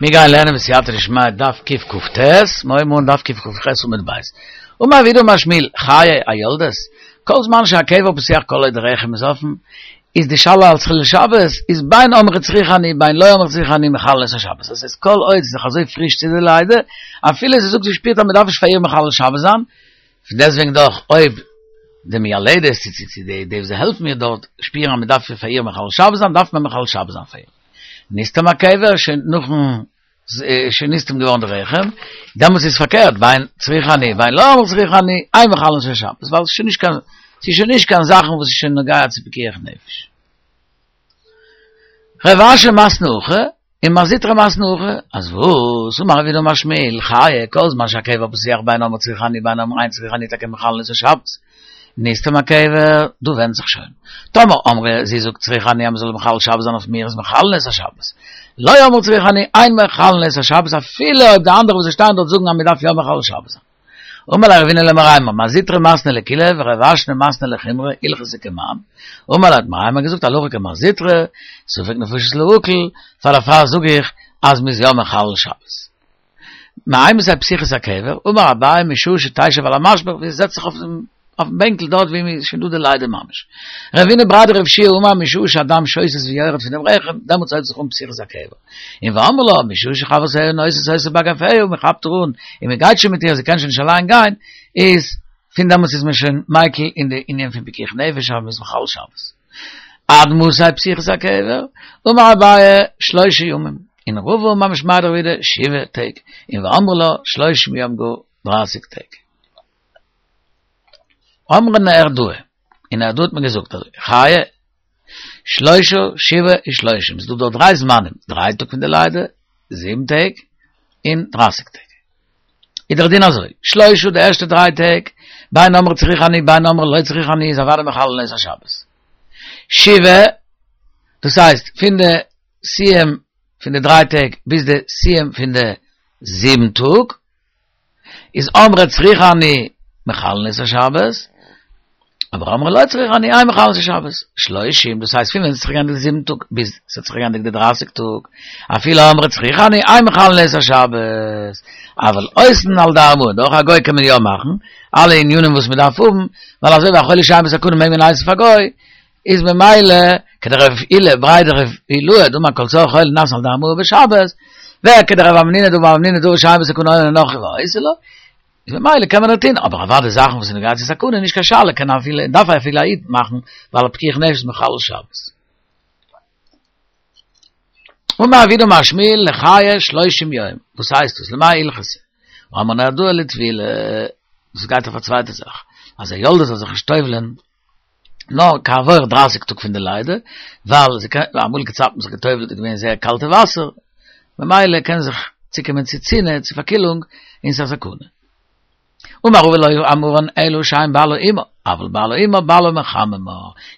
מיר גייען לערנען בסייעתא דשמיא דף קכ"ט, מיר הייבן אן דף קכ"ח עמוד ב'. אמר רב יהודה אמר שמואל, חיי היולדת, כל זמן שהקבר פתוח כל עוד רחם איז אפן, איז די שאלה אלס חילול שבת, איז בין אמרה צריכה אני בין לא אמרה צריכה אני מחללין את השבת. דאס הייסט כל עוד ס'איז נאך אזוי פריש צו די לידה, אפילו זי זאגט זי שפירט אז מ'דארף נישט פאר איר מחלל שבת זיין, פון דעסטוועגן דאך אויב די מיילדת צו צו צו די די וואס העלפן איר דארט שפירן אז מ'דארף פאר איר מחלל שבת זיין, דארף מען מחלל שבת זיין פאר איר. נסתם הקבר שוין נאכן שוין נסתם געווארן די רחם, דעמאלטס איז פארקערט, בין צריכה אני בין לא אמרה צריכה אני, אין מחללין את השבת, ווייל ס'איז שוין נישט קיין, ס'איז שוין נישט קיין זאכן וואס איז שוין נוגע צו פיקוח נפש. רב אשי מתני הכי, און מר זוטרא מתני הכי, אז וואס? אמר רב יהודה אמר שמואל, חיי, כל זמן שהקבר פתוח בין אמרה צריכה אני בין אמרה אין צריכה אני טאקע מחללין את השבת. נסתם הקבר, דא ווענדט זיך שוין. טאמער אמרה, זי זאגט צריכה אני אז מ'זאל מחלל שבת זיין אויף מיר איז מחללין את השבת. לא אמרה צריכה אני, אין מחללין את השבת אפילו אויב די אנדערע וואס זיי שטייען דארט זאגן אז מ'דארף יא מחלל שבת זיין. אמר ליה רבינא למרימר, מר זוטרא מתני לקולא ורב אשי מתני לחומרא, הלכתא כמאן. אמר ליה האט מרימר געזאגט הלכה כמר זוטרא, ספק נפשות להקל, פאר דערפאר זאג איך אז מ'איז יא מחלל שבת. מאימתי פתיחת הקבר, אמר אביי משעה שתשב על המשפך ווי זי זעצט זיך אויפן בענקל דארט ווי מ'איז שוין דא די לידה ממש. רבינא בריה דרב יהושע אמר משעה שהדם שותת ויורד פון דעם רחם, דעמאלטס הויבט זיך אן פתיחת הקבר. און ואמרי לה משעה שחברותיה נושאות אותה באגפיה, מ'כאפט איר אן און מ'גייט שוין מיט איר, זי קען שוין נישט אליין גיין, איז פון דעמאלטס איז מען שוין מיקל אין די ענין פון פיקוח נפש אז מ'איז מחלל שבת. עד מתי פתיחת הקבר? אמר אביי שלושה ימים, און רבא אמר משמיה דרב יהודה שבעה טעג, און ואמרי לה שלושים יום גאר דרייסיג טעג. אמרי נהרדעא, אין נהרדעא האט מען געזאגט אזוי, חיי שלושה שבעה ושלושים, ס'איז דא דארט דריי זמנים, דריי טאג פון די לידה, זיבן טעג, און דרייסיג טעג. איז דער דין אזוי, שלושה די ערשטע דריי טעג, בין אמרה צריכה אני בין אמרה לא צריכה אני איז אוודאי מחללין את השבת. שבעה, דאס הייסט פון די סיום פון די דריי טעג ביז די סיום פון די זיבן טאג, איז אמרה צריכה אני מחללין את השבת, אבער אמרה לא צריכה אני אין מחללין את השבת. שלושים, דאס הייסט פון ווען ס'האט זיך געענדיגט די זיבן טאג ביז ס'האט זיך געענדיגט די דרייסיג טאג, אפילו אמרה צריכה אני אין מחללין את השבת, אבל עושין על די ארמאה, דורך א גוי קען מען יא מאכן אלע ענינים וואס מ'דארף האבן, ווייל אזוי ווי א חולה שאין בו סכנה מעג מען הייסן פאר גוי, איז ממילא כדרב אילא בריה דרב אילעא דאמר כל צרכי חולה נעשין על די ארמאה בשבת, וכדרב המנונא דאמר המנונא דבר שאין בו סכנה אומר לנכרי ועושה לו, איז ממילא קען מען דאך טון, אבער אוודאי זאכן וואס איז נוגע צו סכנה איז נישט קיין שאלה, קען אפילו, דארף אפילו א איד מאכן, ווייל א פיקוח נפש איז מחלל שבת. אמר רב יהודה אמר שמואל לחיי שלושים יום, וואס הייסט דאס? למאי הלכתא? אמרי נהרדעא לטבילה, דאס גייט אויף א צווייטע זאך, אז א יולדת זאל זיך נישט טובל'ען נאר כעבור דרייסיג טאג פון די לידה, ווייל זי קען, אמאליגע צייטן האט מען זיך געטובל'ט איז געווען זייער קאלטע וואסער, ממילא קען זיך צוקומען צו צינה, צו פארקילונג, און ס'איז א סכנה. אמר רבא לא אמרן אלא שאין בעלה עמה, אבל בעלה עמה בעלה מחממה.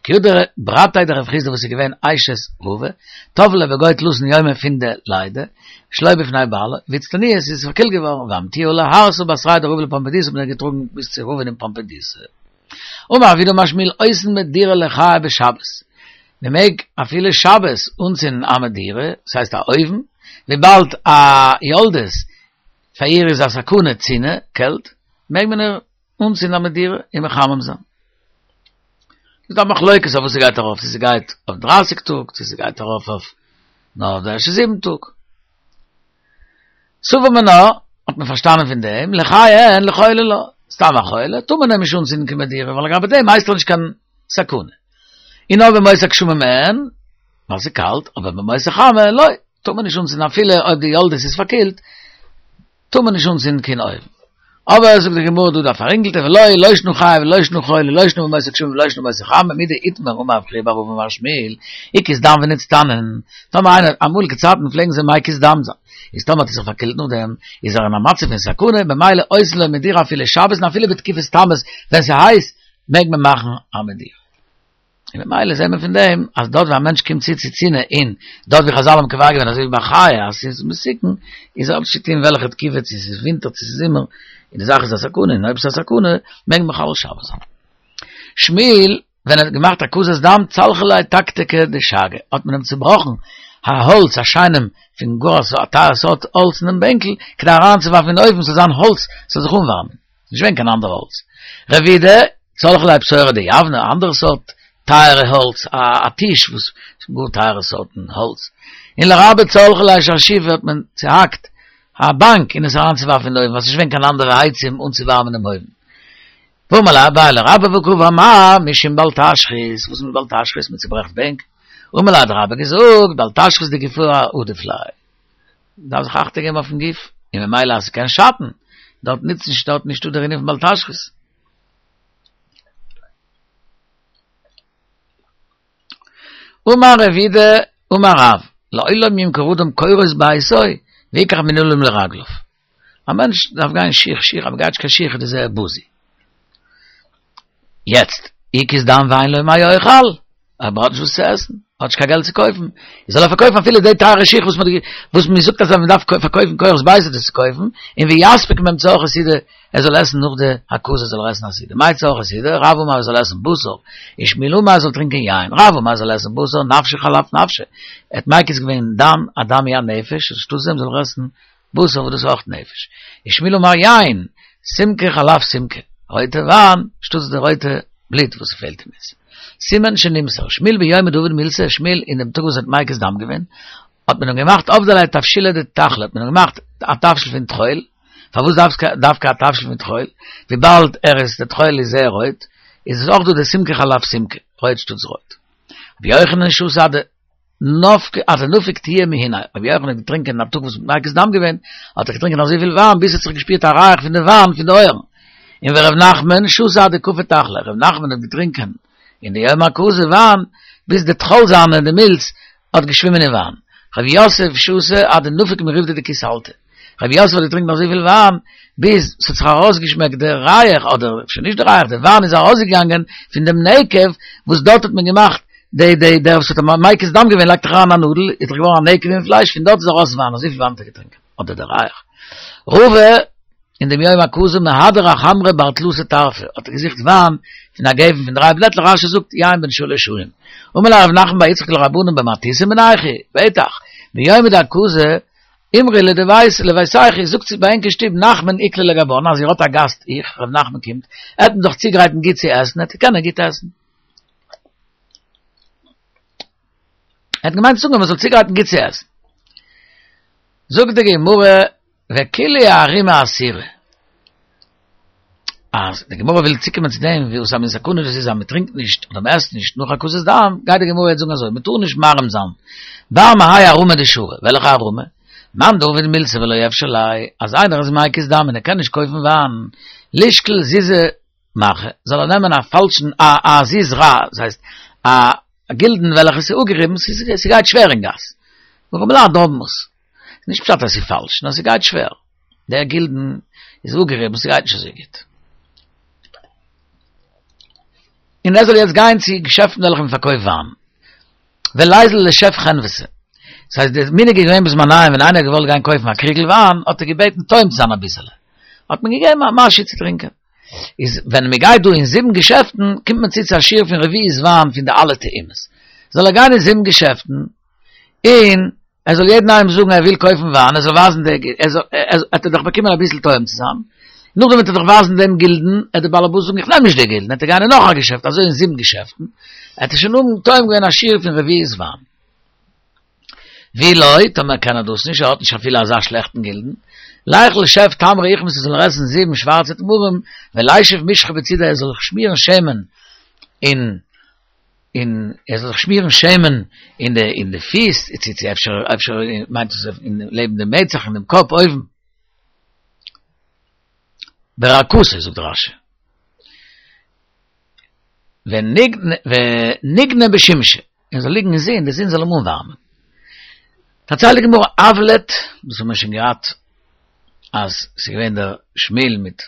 כי הא ברתיה דרב חסדא וואס איז געווען אשת רבא, טבלה בגו תלתין יומי פון די לידה, שלא בפני בעלה, ואיצטניאת איז פארקילט געווארן, ואמטוה להרתא בתריה דרבא לפומבדיתא האט מען איר געטראגן ביז צו רבא'ן אין פומבדיתא. אמר רב יהודה אמר שמואל עושין מדורה לחיי בשבת, מען מעג אפילו שבת אנצינדן א מדורה, דאס הייסט א אויוון, וויבאלד א יולדת פאר איר איז א סכנה צינה, קעלט, מעג מען איר אנצינדן א מדורה און מחמם זיין. ס'איז דא א מחלוקת אויף וואס ס'גייט ארויף, צו ס'גייט אויף דרייסיג טאג, צו ס'גייט ארויף אויף נאר די ערשטע זיבן טאג. סבור מינה, האט מען פארשטאנען פון דעם, לחיי אין לחולה לא, סתם א חולה, טאר מען אים נישט אנצינדן קיין מדורה, ווייל לגבי דעם הייסט ער נישט קיין סכנה. און אויב בימות הגשמים אין, ווייל ס'איז קאלט, אבער בימות החמה לא, טאר מען נישט אנצינדן אפילו אויב די יולדת איז פארקילט, טאר מען נישט אנצינדן קיין אויוון. אבער זאגט די גמרא דא דא פאררינגלטע ולא לא שנא חי ולא שנא חולה לא שנא בימות הגשמים ולא שנא בימות החמה מדאיתמר אמר רב חייא בר אבא אמר שמואל הקיז דם ונצטנן טאמער איינער אמאליגע צייטן פלעגן זיי מקיז דם זיין איז טאמער האט ער זיך פארקילט נאכדעם איז ער אין א מצב פון סכנה במילא עושין לו מדורה אפילו שבת און אפילו בתקופת תמוז ווען ס'הייס מעג מען מאכן א מדורה. און ממילא זעהט מען פון דעם אז דארט ווי א מענטש קומט צו צו צינה און דארט ווי חזל האבן קובע געווען אזוי ווי ביי חיה אז ס'איז מסוכן איז האט נישט צו טוהן וועלכע תקופה צו ס'איז ווינטער צו ס'איז זומער און די זאך איז א סכנה און אויב ס'איז א סכנה מעג מען מחלל שבת זיין. שמואל ווען ער האט געמאכט הקזת דם צלחו ליה תקתקא דשאגא האט מען אים צובראכן. א האלץ א שיינעם פון גאר א טייערע סארט האלץ אין דעם בענקל, כדי אריינצואווארפן אין אויוון ס'זאל זיין האלץ ס'זאל זיך אנווארעמען, נישט געווען קיין אנדערע האלץ. רב יהודה, צלחו ליה פתורא דיוונא, א אנדערע סארט טייערע האלץ, א טיש וואס גאר טייערע סארטן האלץ. און לרבה צלחו ליה שרשיפא האט מען צוהאקט א באנק און עס אריינצואווארפן אין אויוון ווייל ס'איז נישט געווען קיין אנדערע עצים אנצואווארעמען דעם אויוון. ואמר ליה אביי לרבה והא קאמר מר משום בל תשחית, וואס מיינט בל תשחית? מען צוברעכט בענק. אמר ליה האט רבה געזאגט בל תשחית דגופא עדיף ליה. מען דארף זיך אכטונג געבן אויפן גוף, און ממילא אז ס'קען שאטן, דארט נוצט נישט דארט נישטא דער ענין פון בל תשחית. אמר רב יהודה אמר רב, לעולם ימכור אדם קורות ביתו ויקח מנעלים לרגליו. א מענטש דארף גיין שיך שיך, אז מ'גייט נישט קיין שיך איז דאס זייער בוזי. יעצט, הקיז דם ואין לו מה יאכל, אויב ער האט נישט וואס צו עסן, האט נישט קיין געלט צו קויפן, זאל ער פארקויפן אפילו די טייערע שיך וואס מ'האט וואס מ'זאגט אז מ'דארף פארקויפן קורות ביתו דאס צו קויפן, און ויספיק מהם צורכי סעודה, ער זאל עסן נאך די הקזה זאל ער עסן א סעודה. מאי צורכי סעודה? רב אמר ער זאל עסן בשר, ושמואל אמר ער זאל טרינקען יין, רב אמר ער זאל עסן בשר, נפשו חלף נפשיה, ער האט מקיז געווען דם, א דם היא הנפש, אנשטאטס דעם זאל ער עסן בשר וואס דאס איז אויך נפש. ושמואל אמר יין, סימקא חלף סימקא, רויטע וויין שטאטס די רויטע בלוט וואס ס'פעלט אים איז. סימן שנמסר, שמואל ביומא דעביד מילתא, שמואל אין דעם טאג וואס ער האט מקיז דם געווען, האט מען אים געמאכט עבדו ליה תבשילא דתכלא, האט מען אים געמאכט א תבשיל פון טחול, פארוואס דווקא א תבשיל פון טחול? וויבאלד ער איז, די טחול איז זייער רויט, איז עס אויך דא די סימקא חלף סימקא, רויט שטאטס רויט. רבי יוחנן שתה עד נפק עד דנפיק טועיא מהינה, רבי יוחנן האט געטרינקען אין א טאג וואס מ'האט מקיז דם געווען, האט ער געטרינקען אזויפיל וויין ביז ס'האט זיך געשפירט א ריח פון די וויין פון די אויערן. און ור' נחמן שתה עד דקפי תכלא, ר' נחמן האט געטרינקען אין די יום הקזה וויין ביז די טחול זיינע, די מילץ, האט געשווימען אין וויין. ר' יוסף שתה עד דנפיק מריבדא דכיסלתא. ר' יוסף האט געטרינקען אזויפיל וויין ביז ס'האט זיך ארויסגעשמעקט די ריח, אדער אפשר נישט די ריח, די וויין איז ארויסגעגאנגען פון דעם נקב וואס דארט האט מען געמאכט די די דער וואס האט מקיז דם געווען לייגט דאך אריין א נאדל, איז דאך געווארן א נקב אין פלייש, פון דארט איז ארויס וויין, אזויפיל וויין האט ער געטרינקען, אדער די ריח. רבא אין דעם יום הקזה מהדר אחמרא בר תלתא טרפי, האט ער געזוכט וויין פון א גפן פון דריי בלעטלעך, רש"י זאגט יין בן שלש שנים. אמר ליה רב נחמן בר יצחק לרבנן במתניתין מינייכו, בטח, ביומא דהקזה אמרו לביתייכו, זאגט צו ביי ענק אין שטוב נחמן איקלע לגבן, אז איר האט א גאסט איך, ר' נחמן קומט, עט מען דאך צוגרייטן גוט צו עסן, עט ער קענען גוט עסן. ער האט געמיינט צו זאגן אז מען זאל צוגרייטן גוט צו עסן. זאגט די גמרא, וכולהו אערימי אסירי. אז די גמרא וויל צוקומען צו דעם וואס א מין סכנה דאס איז אז מען טרינקט נישט אדער מען עסט נישט נאך הקזת דם, גייט די גמרא יעצט זאגן אזוי, מען טאר נישט מערים זיין בר מהאי הערמה דשרי, וועלכע הערמה? מאן דעביד מילתא ולא אפשר ליה, אז איינער איז מקיז דם און ער קען נישט קויפן וויין, לישקול זוזא מרחא, זאל ער נעמען א פאלשן א א זוז רע, דאס הייסט א גילדן וועלכע איז אפגעריבן, ס'גייט שווער אין גאס, ארעמעלייט האבן עס, נישט פשט אז ס'איז פאלש, נאר ס'גייט שווער, דער גילדן איז אפגעריבן, ס'גייט נישט אזוי גוט. און ער זאל יעצט גיין צו געשעפטן וועלכע מען פארקויפט וויין. וליזיל לשף חנוותא. דאס הייסט די מנהג איז געווען בזמניהם ווען איינער האט געוואלט גיין קויפן א קריגל וויין האט ער געבעטן טועם צו זיין אביסעלע. האט מען געגעבן א משהו צו טרינקען. איז ווען מען גייט דא אין זיבן געשעפטן קומט מען צו צו א שיעור פון רביעית וויין פון די אלע טעימות. זאל ער גיין אין זיבן געשעפטן און ער זאל יעדן איינעם זאגן ער וויל קויפן וויין, ער זאל ווייזן די, ער זאל, ער וועט ער דאך באקומען אביסל טועם צו זיין, נאכדעם וועט ער דאך ווייזן דעם גילדן, עט דער באלעבאס זאגן איך נעם נישט די גילדן, עט ער גיין אין נאך א געשעפט, אזוי אין זיבן געשעפטן, עט ער שוין האבן טועם געווען א שיעור פון רביעית וויין. ואי לא, טאמער קען ער דאס נישט, ער האט נישט אפילו אזא שלעכטן גילדן, ליכול שף תמרי אוכמתא זאל ער עסן זיבן שווארצע תמרים, ולישף משחא בצידעיה ער זאל זיך שמירן שמן אין און ער זאל זיך שמירן שמן אין די אין די פיס, צו צו אפשר אפשר מיינט עס אין לעבן דעם מצח אין דעם קאפ אויבן. ברקתו זאגט רש"י. וניגני בשימשא, ער זאל ליגן אין זון, די זון זאל אים אנווארעמען. פארציילט די גמרא אבלט, דאס האבן מיר שוין געהאט אז ס'איז געווען דער שמואל מיט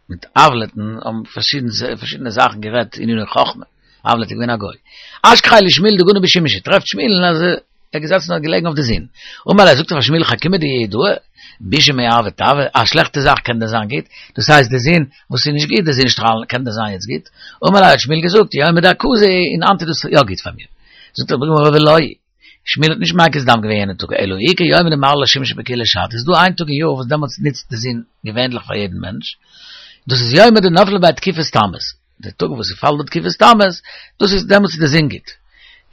מיט אבלט'ן האבן פארשידענע זאכן גערעדט עניני חכמה, אבלט איז געווען א גוי. אשכחיה לשמואל דגני בשימשא, טרעפט שמואל'ן אז ער איז געזעצן און געלעגן אויף די זון. אמר ליה, זאגט ער פאר שמואל חכימא דיהודאי, בישא מארבא טבא, א שלעכטע זאך קען דען זיין גוט? דאס הייסט די זון וואס איז נישט גוט, די זון שטראלן, קען דען זיין יעצט גוט? אמר ליה האט שמואל געזאגט, יומא דהקזה, און היינט איז דאס יא גוט פאר מיר. זאגט די גמרא ולא היא. שמואל האט נישט מקיז דם געווען יענע טאג, אלא איכא יומא דמעלי לשימשא בכולא שתא, איז דא איין טאג אין יאר וואס דעמאלטס נוצט די זון געווענדליך פאר יעדן מענטש, דאס איז יומא דנפלה ביה תקופת תמוז, די טאג וואס ס'פאלט די תקופת תמוז, דאס איז דעמאלטס איז די זון גוט.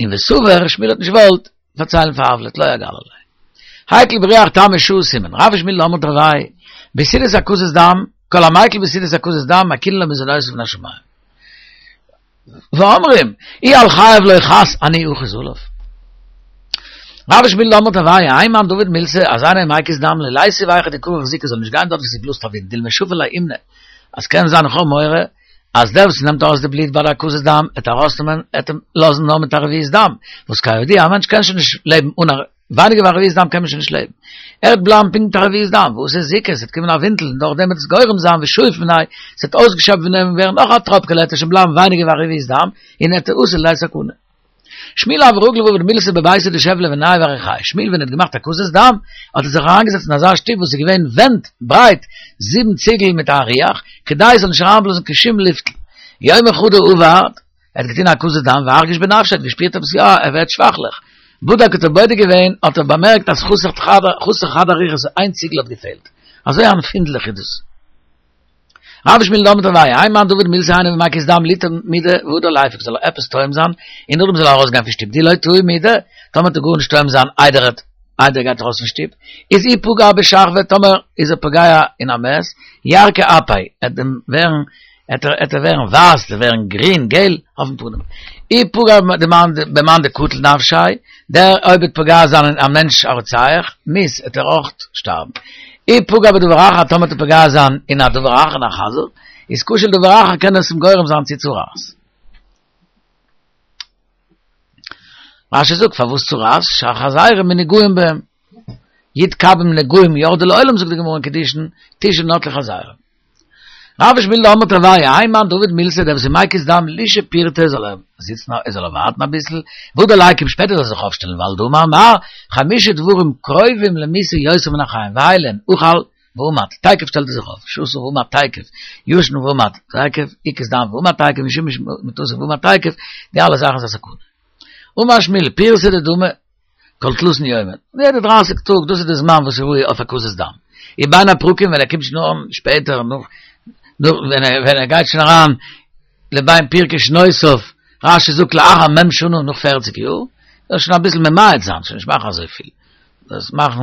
און וסבר, שמואל האט נישט געוואלט פארציילן פאר אבלט, לא אגלי ליה. הקל ברוח תמוז שעה סימן, רב ושמואל דאמרי תרוייהו, בסעודת הקזת דם, כל המיקל בסעודת הקזת דם, מקילין לו מזונותיו מן השמים. ואומרים, אי על חייו לא חס אני אחוס עליו. רב ושמואל דאמרי תרוייהו, האי מאן דעביד מילתא, אז איינער איז מקיז דם לא ליתיב היכא דכרך זיקא זאל נישט גיין דארט וואו ס'בלאזט א ווינט, דילמא שפי ליה אומנא, אז קען זיין איך האב מורא אז דער וואס נעמט ארויס די בלוט ביי די הקזת דם עט ארויסנעמען עט אים לאזן נאר מיט א רביעית דם, וואס כידוע א מענטש קען שוין נישט לעבן אן א ווייניגער ווי א רביעית דם קען מען שוין נישט לעבן. ער וועט בלייבן פונקט מיט א רביעית דם, ואתי זיקא, עס וועט קומען א ווינטל און דורך דעם וועט עס גורם זיין ושאיף מיניה, עס וועט אויסגעשעפט פון אים ווערן נאך א טראפקעלע עט ער שוין בלייבן ווייניגער ווי א רביעית דם, און עט אתי לידי סכנה. שמואל הוה רגיל ועביד מילתא בביתא דשב לבנייהו ואריכייהו. שמואל ווען ער האט געמאכט הקזת דם, האט ער זיך אריינגעזעצט אין אזא שטוב וואס איז געווען ווענט ברייט זיבן ציגל מיט א ריח, כדי עס זאל נישט אריינבלאזן קיין שום לופטל. יומא חדא עבד, ער האט געטון הקזת דם וארגיש בנפשיה, ער האט געשפירט עפעס יא, ער ווערט שוואכליך. בדק האט ער בודק געווען, האט ער באמערקט אז חסר חסר חד אריכתא, איין ציגל האט געפעלט. אזוי עמפינדליך איז דאס. רב ושמואל דאמרי תרוייהו, האי מאן דעביד מילתא איינער מקיז דם ליטעם מידי והדר ליפוק זאל ער עפעס טועם זיין און נאכדעם זאל ער ארויסגיין פון שטוב דאי לא טעים מידי טאמער וועט ער גארנישט טועם זיין איידער ער איידער ער גייט ארויס פון שטוב איז אי פגע בשכבא טאמער איז ער פוגע אין א מת ירקא אפיה עט אים ווערן עט ער עט ער ווערן ווייס עט ער ווערן גרין געל אויפן פנים אי פגע במאן דקטיל נפשיה דער אויב וועט פוגע זיין אין א מענטש א רוצח מית עט ער אויך שטארבן. אי פגע בדבר אחר טאמער וועט ער פוגע זיין אין א דבר אחר אין א חזיר איז קשה לדבר אחר קען עס אים גורם זיין צו צרעת. רשי זאגט פארוואס צרעת שהחזירים מנוגעים בהם י' קבים נגעים ירדו לעולם זאגט די גמרא אין קידושין תשעה נטלו חזירים. רב ושמואל דאמרי תרוייהו, האי מאן דעביד מילתא דער וואס איז מקיז דם לישהי פורתא זאל ער זיצן ער זאל ער ווארטן אביסל, והדר ליקום שפעטער זאל ער זיך אויפשטעלן ווייל דאמר מר, חמשה דברים קרובים למיתה יותר מן החיים, ואלו הן, אכל ועמד, תיכף שטעלט ער זיך אויף, שתה ועמד תיכף, ישן ועמד תיכף, הקיז דם ועמד תיכף, ושימש מטתו ועמד תיכף, די אלע זאכן איז א סכנה. אמר שמואל, פורתא דדמי, כל תלתין יומין, יעדע דרייסיג טאג, דאס איז די זמן וואס איז ראוי אויף הקזת דם. ובין הפרקים ווען ער קומט שוין אן שפעטער נאך נאך ווען ער ווען ער גייט שוין אריין לבין פרקי שנותיו, רש"י זאגט לאחר מ' שנה נאך פערציג יאר, זאל שוין אביסל ממעט זיין, שוין נישט מאכן אזויפיל, דאס מאכן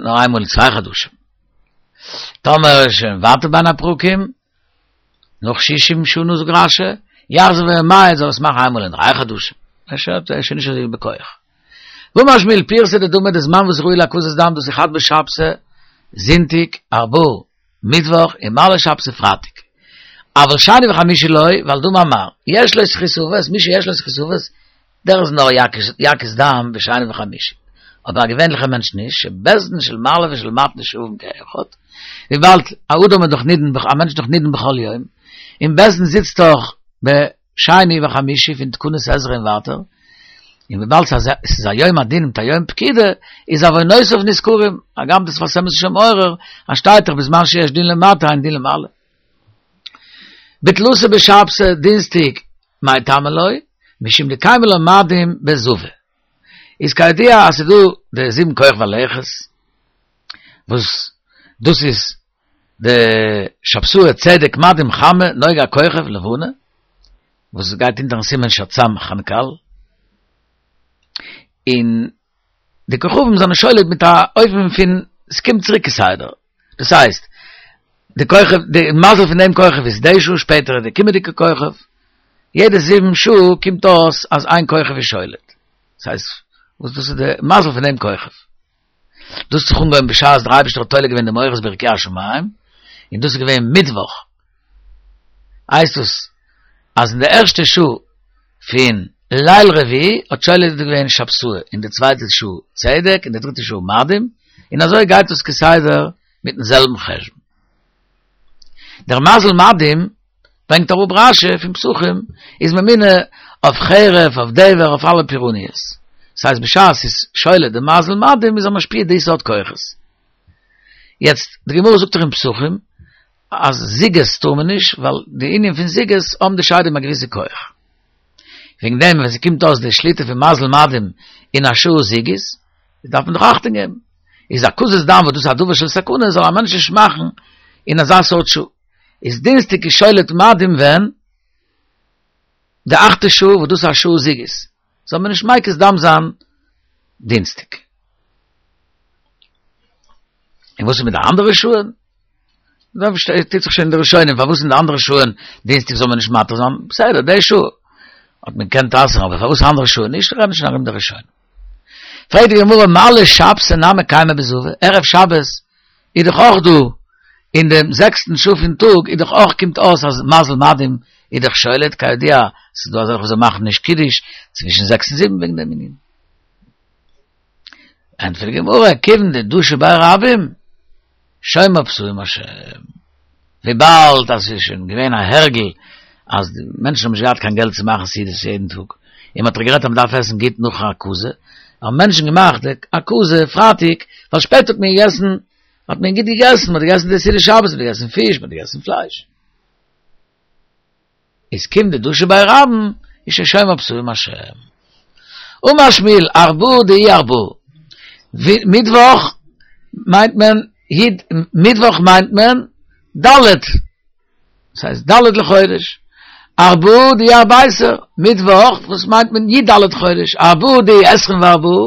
נאר איינמאל אין צוויי חדשים. טאמער איז שוין ווייטער בין הפרקים, נאך שישים שנה זאגט רש"י, יחזור וימעט זאל עס מאכן איינמאל אין דריי חדשים, ער איז שוין נישט אזוי בכח. ואמר שמואל פורתא דדמי די זמן וואס ראוי להקזת דם דאס איז חד בשבתא זונטאג ארבעה מיטוואך און מעלי שבתא פרייטאג. אבל שני וחמישי לא, ווייל דאמר מר, יש לו זכות אבות, מי שיש לו זכות אבות, דער איז נאר יקיז דם בשני וחמישי, אבער א געווענליכער מענטש נישט, שבית דין של מעלה ושל מטה נשאבים כאחד, וויבאלד א אדם איז דאך נידון, א מענטש איז דאך נידון בכל יום, און בית דין זיצט דאך בשני וחמישי פון תקנות עזרא און ווייטער, און וויבאלד ס'איז א יום הדין מיט א יום פקידה, איז עוונותיו נזכרים, הגם דער שפת אמת איז שוין מעורר, אז שטייט דאך בזמן שיש דין למטה אין דין למעלה. בתלתא בשבתא, דינסטאג, מאי טעמא לא, משום דקיימא לן מאדים בזווי. איז כידוע אז ס'איז דא די זיבן כוכבי לכת, וואס דאס איז די שבתאי צדק מאדים חמה נוגה כוכב לבנה, וואס גייט אונטערן סימן שצ"ם חנכ"ל, און די כוכבים זענען שולט מיט א אופן פון ס'קומט צוריק כסדר, דאס הייסט, די כוכב, די מזל פון דעם כוכב איז די שעה, שפעטער איז די קומענדיגע כוכב, יעדע זיבן שעה קומט אויס אז איין כוכב איז שולט, דאס הייסט, וואס דאס איז די מזל פון דעם כוכב. דאס האט זיך אנגעהויבן בשעת דער אייבערשטער האט תולה געווען די מאורות ברקיע השמים, און דאס איז געווען מיטוואך, הייסט עס אז אין די ערשטע שעה פון ליל רביעי האט שולט געווען שבתאי, אין די צווייטע שעה צדק, אין די דריטע שעה מאדים, און אזוי גייט עס כסדר מיטן זעלבן חשבון. דער מזל מאדים ברענגט אראפ רש"י פון פסחים איז ממונה אויף חרב, אויף דבר, אויף אלע פורעניות. דאס הייסט בשעת ס'איז שולט די מזל מאדים איז ער משפיע די סארט כוחות. יעצט, די גמרא זאגט דאך אין פסחים אז זוגות טאר מען נישט, ווייל די ענין פון זוגות האבן די שדים א געוויסע כח. וועגן דעם ווען ס'קומט אויס די שליטה פון מזל מאדים אין א שעה זוגית, דארף מען דאך אכטונג געבן. איז הקזת דם וואס דאס איז א דבר של סכנה זאל א מענטש נישט מאכן אין אזא סארט שעה. איז דינסטאג איז שולט מאדים ווען? די אכטע שעה וואס דאס איז א שעה זוגית. זאל מען נישט מקיז דם זיין דינסטאג. און וואס איז מיט די אנדערע שעה'ן? דא טוט זיך שוין די ראשונים פארוואס אין די אנדערע שעה'ן דינסטאג זאל מען נישט מתיר זיין, בסדר די שעה האט מען געקענט אסר'ן אבער פארוואס אנדערע שעה'ן נישט, רעדן שוין ארום די ראשונים. פרעגט די גמרא מעלי שבתא נמי קיימא בזווי, ערב שבת איז דאך אויך דא אין דעם זעקסטן שעה פון טאג איז דאך אויך קומט אויס אז מזל מאדים איז דאך שולט, כידוע ס'איז דא אזעלכע וואס זיי מאכן נישט קידוש צווישן זעקס און זיבן וועגן דעם ענין. ענטפערט די גמרא, כיוון דדשו ביה רבים, שומר פתאים השם. וויבאלד אז ס'איז שוין געווען א הרגל אז די מענטשן האבן נישט געהאט קיין געלט צו מאכן סעודות יעדן טאג, און מ'האט דאך גערעדט אז מ'דארף עסן גוט נאך הקזה, האבן מענטשן געמאכט די הקזה פרייטאג, ווייל שפעטער האט מען געגעסן, האט מען גוט געגעסן, מ'האט געגעסן די סעודת שבת, מ'האט געגעסן פיש, מ'האט געגעסן פלייש. איז כיון דדשו ביה רבים, איז שוין שומר פתאים השם. אמר שמואל, ארבעה דאי ארבעה. מיטוואך מיינט מען י, מיטוואך מיינט מען ד', דאס הייסט ד' לחודש. ארבעה דאי ארבעה עשר, מיטוואך וואס מיינט מען י ד חודש, ארבעה דאי עשרים וארבעה,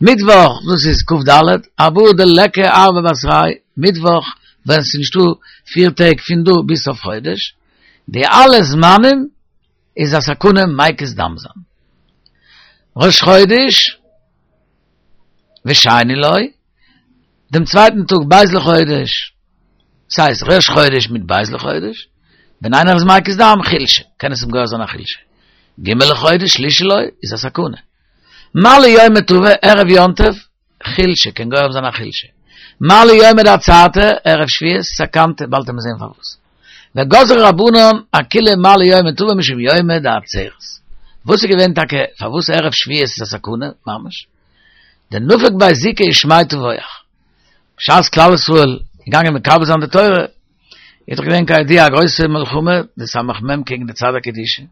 מיטוואך דאס איז כ ד, ארבעה דליכא ארבעה בתרייהו, מיטוואך ווען ס'איז נישטא פיר טעג פון דא ביז סוף חודש. די אלע זמנים איז א סכנה מקיז דם זיין. ראש חודש ושני לו, דעם צווייטן טאג ב' לחודש, ס'הייסט ראש חודש מיט ב' לחודש, ווען איינער איז מקיז דם חולשה, קען עס אים גורם זיין א חולשה. ג' לחודש שלישי לו איז א סכנה. מעלי יומא טבא ערב יום טוב חולשה קען גורם זיין א חולשה. מעלי יומא דעצרתא, ערב שבועות, סכנתא, באלד וועט מען זען פארוואס. וגזרו רבנן אכולהו מעלי יומא טבא משום יומא דעצרת. וואס איז געווען טאקע פארוואס ערב שבועות איז א סכנה ממש? דנפק ביה זיקא ושמיה טבוח. בשעת כלל ישראל איז געגאנגען מקבל זיין די תורה, איז דאך געווען כידוע א גרויסע מלחמה, די סמך מם קעגן די צד הקדושה.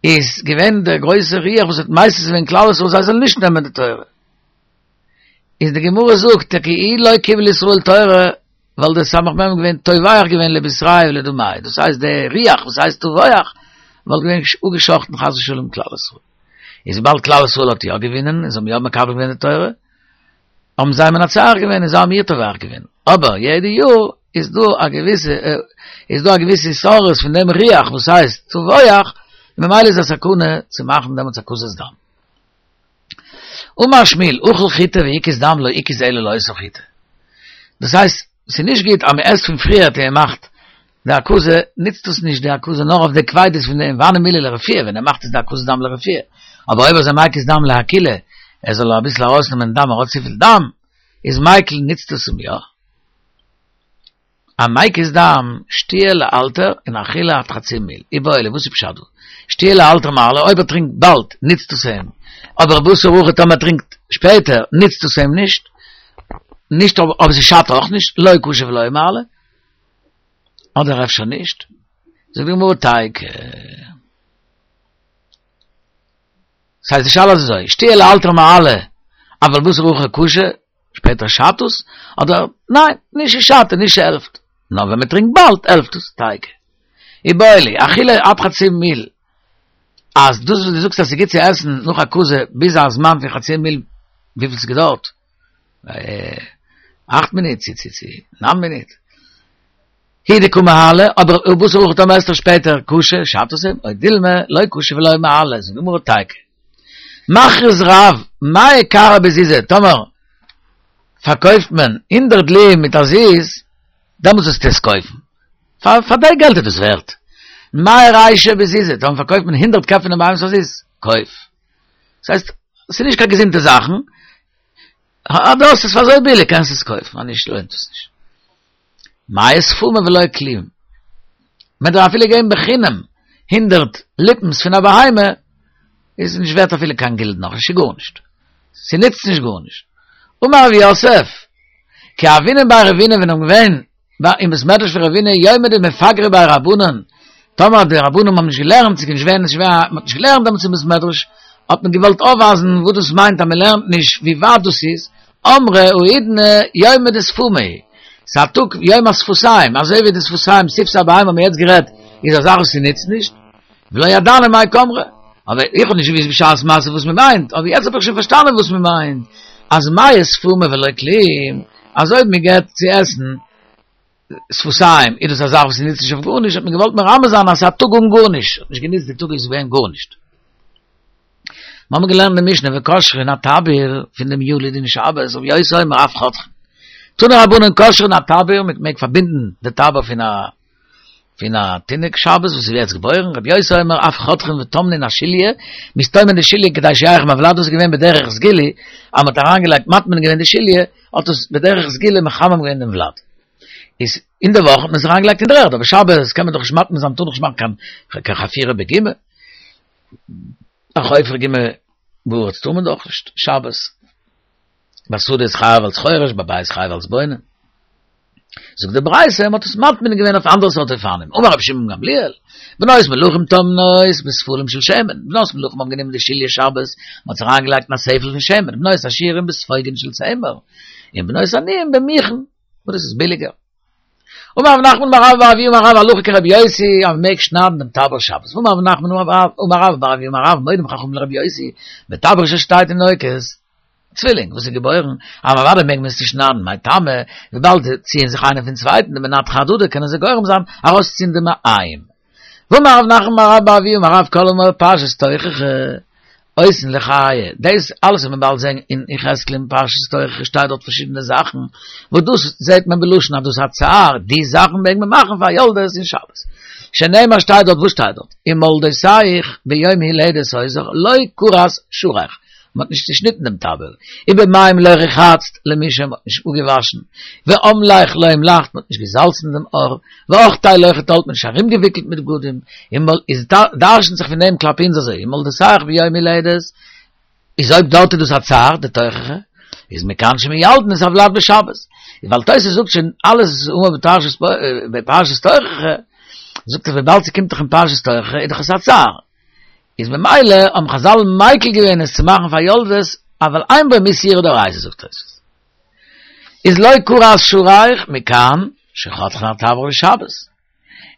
איז געווען דער גרויסער רוח וואס האט מסית געווען כלל ישראל זיי זאלן נישט נעמען די תורה. איז די גמרא זאגט טאקע אי לא קיבל ישראל תורה וואלט דער סמך מם געווען טובח געווען לבשריה ולדמיה, דאס הייסט דער רוח וואס הייסט טובח וואלט געווען אפגעשאכטן חס ושלום כלל ישראל. איז וויבאלד כלל ישראל האט יא געווינען און זיי האבן יא מקבל געווען די תורה, האבן זיי מנצח געווען און זיי האבן איר טובח געווען. אבער יעדע יאר איז דא א געוויסע איז דא א געוויסע התעוררות פון דעם רוח וואס הייסט טבוח, און ממילא איז א סכנה צו מאכן דעמאלטס הקזת דם. אמר שמואל, אכל חיטה והקיז דם לא הקיז אלא לאותה חיטה. דאס הייסט, ס'איז נישט גוט אז מ'עסט פון פריערט און מ'מאכט די הקזה, נוצט עס נישט די הקזה נאר אויף די קפידות פון דעם, והני מילי לרפואה, ווען ער מאכט עס די הקזת דם לרפואה, אבער אויב איז ער מקיז דם להקילא, ער זאל אביסל ארויסנעמען דם, ער האט צופיל דם, איז מיקל נוצט עס אים יא. המקיז דם, שתיה לאלתר און אכילה עד חצי מיל. איבעיא להו, וואס איז פשט דא? שתיה לאלתר מעלי, אויב ער טרינקט באלד, נוצט עס אים, אבער בתר הכי טאמער ער טרינקט שפעטער, נוצט עס אים נישט, נישט אבער ס'שאדט אויך נישט, לא קשי ולא מעלי. אדער אפשר נישט? זאגט די גמרא תיקו. ס'הייסט די שאלה איז אזוי, שתיה לאלתר מעלי, אבל בתר הכי קשי, שפעטער שאדט עס, אדער ניין, נישט ס'שאדט און נישט ס'העלפט, נאר ווען מ'טרינקט באלד העלפט עס, תיקו. איבעיא להו, אכילה עד חצי מיל, אז דאס וואס דו זאגסט אז ס'גוט צו עסן נאך הקזה ביז א זמן פון חצי מיל, וויפיל ס'געדויערט? אכט מינוט צו צו צו ניין מינוט. הוא דקא מעלי, אבער בתר הכי טאמער עסט ער שפעטער קשי, שאדט עס אים, או דילמא, לא קשי ולא מעלי, זאגט די גמרא תיקו. מכריז רב, מאה קרי בזוזא, טאמער פארקויפט מען הונדערט דלועים מיט א זוז, דעמאלטס זאלסטו עס קויפן. פאר פאר די געלט איז דאס ווערט. מאה רישי בזוזא, טאמער פארקויפט מען הונדערט קעפ פון די בהמות פאר א זוז, קויף. דאס הייסט, ס'איז נישט קיין געזונטע זאכן, אז דו האסט עס פאר אזוי ביליג קענסטו עס קויפן, אז נישט לוינט עס נישט. מאה ספומי ולא כלום. מען דארף אפילו געבן בחינם הונדרעט ליפנס פון א בהמה, איז נישט ווערט אפילו קיין גילדן אויך נישט, גארנישט. ס'נוצט נישט גארנישט. אמר רב יוסף, כי הוינן בי רבינא ווען מ'איז געווען אין בית מדרש פון רבינא יומא דמפגרי ביה רבנן. טאמער די רבנן האבן נישט געלערנט, ס'איז נישט געווען, נישט געווען, מ'האט נישט געלערנט דעמאלטס אין בית מדרש, האט מען געוואלט אויפווייזן וואס דאס מיינט אז מ'לערנט נישט, ווי ווייט דאס איז, אמרי האידנא יומא דשפומי, ס'איז א טאג יום השפתיים, אזוי ווי די שפתיים, שפתי הבהמה האבן מיר יעצט גערעדט, איז א זאך וואס ס'נוצט נישט, ולא ידענא מאי קאמרי, אבער איך האב נישט געוואוסט בשעת מעשה וואס מ'מיינט, אבער יעצט האב איך שוין פארשטאנען וואס מ'מיינט, אז מיא שפומי ולא כלום, אז אויב מ'געבט צו עסן שפתיים איז דאס א זאך וואס נוצט נישט אויף גארנישט, האט מען געוואלט מרמז זיין אז ס'איז א טאג אן גארנישט, האט נישט גענוצט די טאג איז געווען גארנישט. מיר האבן געלערנט אין די משנה וקושרין הטבור פון דעם ילוד אין שבת, רבי יוסי אומר אף חותכין. תנו רבנן קושרין הטבור, מען מעג פארבינדן די טבור פון א פון א תינוק שבת וואס איז יעצט געבוירן, רבי יוסי אומר אף חותכין וטומנין השליה, מ'איז טומן די שליה כדי שיחם הולד, דאס איז געווען בדרך סגולה, אז מ'האט אריינגעלייגט מטמין געווען די שליה, האט עס בדרך סגולה מחמם געווען דעם ולד. איז אין די וואך האט מען עס אריינגעלייגט אין דער ערד, אבער שבת קען מען דאך נישט מטמין זיין, מ'טאר דאך נישט מאכן קיין חפירה בגומא. א חופר גומא בארץ טאר מען דאך נישט שבת. בשדה איז חייב אלס חורש, בבית חייב אלס בונה. זאגט די ברייתא, מ'האט עס מטמין געווען אויף אנדערע סארט אופנים. אמר רבי שמעון גמליאל, בנות מלכים טומנות בספלים של שמן, בנות מלכים האבן גענומען די שליה שבת, מ'האט עס אריינגעלייגט אין א ספל פון שמן, בנות עשירים בספוגין של צמר, און בנות עניים במוכין, וואס דאס איז ביליגער. אמר רב נחמן אמר רבה בר אבוה אמר רב הלכה כרבי יוסי, אז מ'מעג שניידן דעם טבור שבת. ואמר רב נחמן אמר רבה בר אבוה אמר רב מודים חכמים לרבי יוסי, בטבור של שתי תינוקות, צווילינג וואס איז געבוירן, אז אוודאי מעג מען עס צושניידן, מאי טעמא, וויבאלד זיי ציען זיך איינער פון צווייטן, דמנתחי אהדדי קענען זיי גורם זיין ארויסציען די מעיים. ואמר רב נחמן אמר רבה בר אבוה אמר רב כל האמור בפרשת תוכחה עושין לחיי, דאס אלעס וועט מען באלד זען אין יחזקאל אין פרשת תוכחה שטייט דארט פארשידענע זאכן, וואס דאס זעט מען בלשון אז דאס א צער, די זאכן מעג מען מאכן פאר יולדות אין שבת. שנאמר שטייט דארט, וואס שטייט דארט? ומולדותיך ביום הולדת אותך לא כרת שערך, מען האט נישט צעשניטן דעם טבור, ובמים לא רחצת למי מען האט נישט אפגעוואשן, ואמלך לא המלכת מען האט נישט געזאלצן דעם עור, ואכתי לא חתלת מען האט נישט ארומגעוויקלט מיט בגדים, איז דרש'נט זיך פון דעם כלפי אונז אזוי, ומולדותיך ביום הולדת, איז אויב דארט איז דאס א צער, די תוכחה, איז מכאן שמיילדין את הולד בשבת, ווייל תוס' זאגט שוין אלעס האמור בפרשת תוכחה, זאגט ער וויבאלד ס'קומט דאך אין פרשת תוכחה איז דאך עס א צער, איז ממילא האבן חזל מיקל געווען עס צו מאכן פאר יולדות, אבל אין בו מיתה יראה דאורייתא זאגט תוספות. איז לא כרת שערך מכאן שחותכין הטבור בשבת.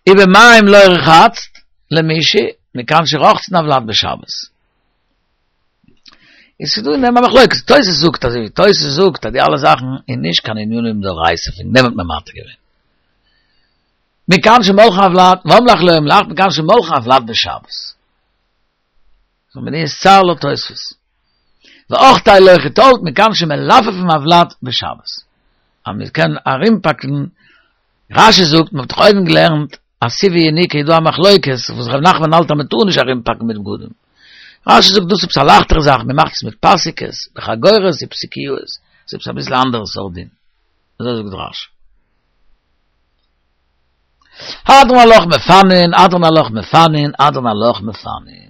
ובמים לא רחצת למישהי מכאן שרוחצין הולד בשבת. איז ס'דא אין דעם א מחלוקת, תוס' זאגט אזוי ווי תוס' זאגט אז די אלע זאכן איז נישט קיין ענינים דאורייתא פון דעם האט מען מתיר געווען. מכאן שמולחין הולד, ואמלך לא המלכת, מכאן שמולחין הולד בשבת. זאל מען איז צער לויט תוספות. ואכתי לא חיתלת, מכאן שמלפפין הולד בשבת. אז מען קען ארומפאקן, רשי זאגט, מען האט דאך אויבן געלערנט, אז סיב ויניקה איז דא א מחלוקת, וואס ר' נחמן האלט אז מען טאר נישט ארומפאקן מיט בגדים. רשי זאגט דאס איז עפעס א לייכטערע זאך, מען מאכט עס מיט פאסיקעס, בחגורות ופסקיות, ס'איז עפעס אביסל אנדערע סארט דין. אזוי זאגט רשי. הדרן עלך מפנין, הדרן עלך מפנין, הדרן עלך מפנין.